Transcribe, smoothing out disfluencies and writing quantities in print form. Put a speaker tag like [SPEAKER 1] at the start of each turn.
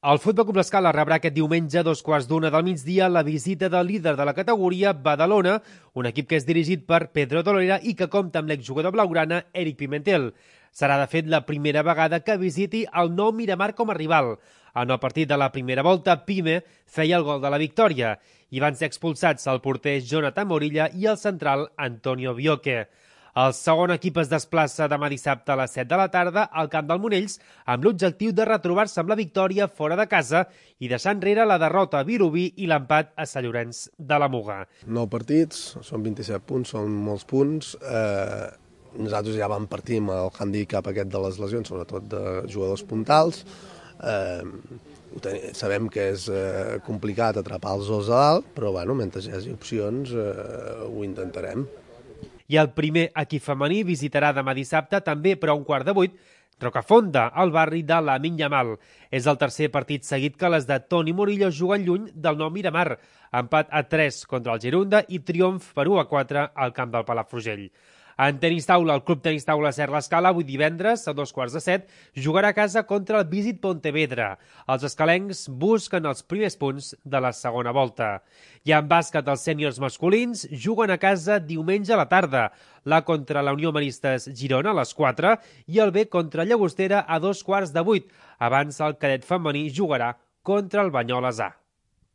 [SPEAKER 1] El Futbol Club L'Escala rebrà aquest diumenge a 2:15 del migdia la visita del líder de la categoria, Badalona, un equip que és dirigit per Pedro Dolera i que compta amb l'exjugador blaugrana Eric Pimentel. Serà, de fet, la primera vegada que visiti el nou Miramar com a rival. En el partit de la primera volta, Pime feia el gol de la victòria i van ser expulsats el porter Jonathan Morilla i el central Antonio Bioque. El segon equip es desplaça demà dissabte a les 7 de la tarda al camp del Monells amb l'objectiu de retrobar-se amb la victòria fora de casa i deixar enrere la derrota a Vilobí i l'empat a Sant Llorenç de la Muga.
[SPEAKER 2] 9 partits, són 27 punts, són molts punts. Nosaltres ja vam partir amb el handicap aquest de les lesions, sobretot de jugadors puntals. Sabem que és complicat atrapar els dos a dalt, però bueno, mentre hi hagi opcions ho intentarem.
[SPEAKER 1] I el primer equip femení visitarà demà dissabte, també però a 7:15, Rocafonda, al barri de la Minyamal. És el tercer partit seguit que les de Toni Murillo juguen lluny del nou Miramar. Empat a 3 contra el Girunda i triomf per 1-4 al camp del Palafrugell. En tenis taula, el Club Tenis Taula Ser l'Escala, avui divendres, a 7:15, jugarà a casa contra el Visit Pontevedra. Els escalencs busquen els primers punts de la segona volta. I en bàsquet, els sèniors masculins juguen a casa diumenge a la tarda. L'A contra la Unió Maristes Girona a les 4 i el B contra Llagostera a 7:15. Abans, el cadet femení jugarà contra el Banyoles A.